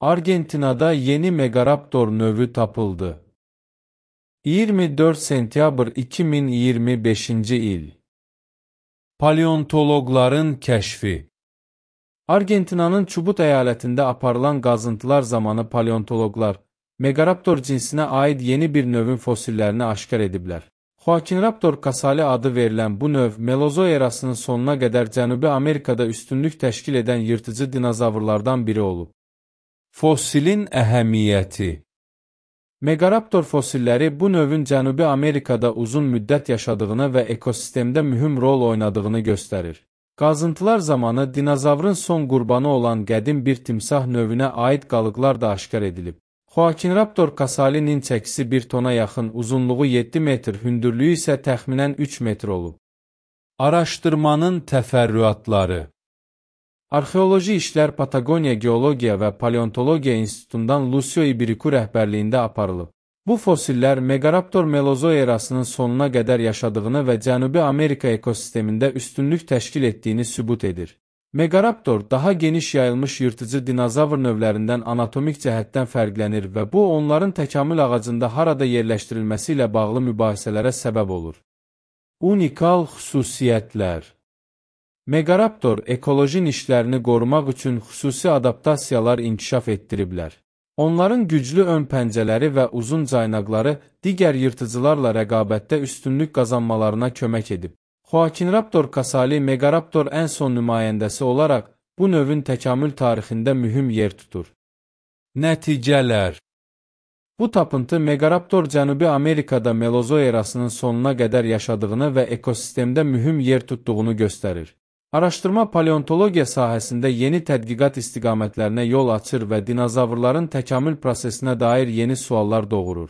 Argentinada yeni Megaraptor növü tapıldı. 24 sentyabr 2025-ci il. Paleontologların kəşfi. Argentinanın Çubut əyalətində aparılan qazıntılar zamanı paleontologlar Megaraptor cinsinə aid yeni bir növün fosillerini aşkar ediblər. Joaquinraptor casali adı verilən bu növ Melozoy erasının sonuna qədər Cənubi Amerikada üstünlük təşkil edən yırtıcı dinozavrlardan biri olub. Fosilin əhəmiyyəti. Megaraptor fosilləri bu növün Cənubi Amerikada uzun müddət yaşadığını və ekosistemdə mühüm rol oynadığını göstərir. Qazıntılar zamanı dinozavrın son qurbanı olan qədim bir timsah növünə aid qalıqlar da aşkar edilib. Joaquinraptor casalinin çəkisi 1 tona yaxın, uzunluğu 7 metr, hündürlüyü isə təxminən 3 metr olub. Araşdırmanın təfərrüatları. Arxeoloji işlər Patagoniya Geologiya və Paleontologiya İnstitutundan Lucio Ibiriku rəhbərliyində aparılıb. Bu fosillər Megaraptor Melozoy erasının sonuna qədər yaşadığını və Cənubi Amerika ekosistemində üstünlük təşkil etdiyini sübut edir. Megaraptor daha geniş yayılmış yırtıcı dinozavr növlərindən anatomik cəhətdən fərqlənir və bu onların təkamül ağacında harada yerləşdirilməsi ilə bağlı mübahisələrə səbəb olur. Unikal xüsusiyyətlər. Megaraptor ekoloji nişlərini qorumaq üçün xüsusi adaptasiyalar inkişaf etdiriblər. Onların güclü ön pəncələri və uzun caynaqları digər yırtıcılarla rəqabətdə üstünlük qazanmalarına kömək edib. Joaquinraptor casali Megaraptor ən son nümayəndəsi olaraq bu növün təkamül tarixində mühüm yer tutur. Nəticələr. Bu tapıntı Megaraptor Cənubi Amerikada Melozoy erasının sonuna qədər yaşadığını və ekosistemdə mühüm yer tutduğunu göstərir. Araşdırma paleontologiya sahəsində yeni tədqiqat istiqamətlərinə yol açır və dinozavrların təkamül prosesinə dair yeni suallar doğurur.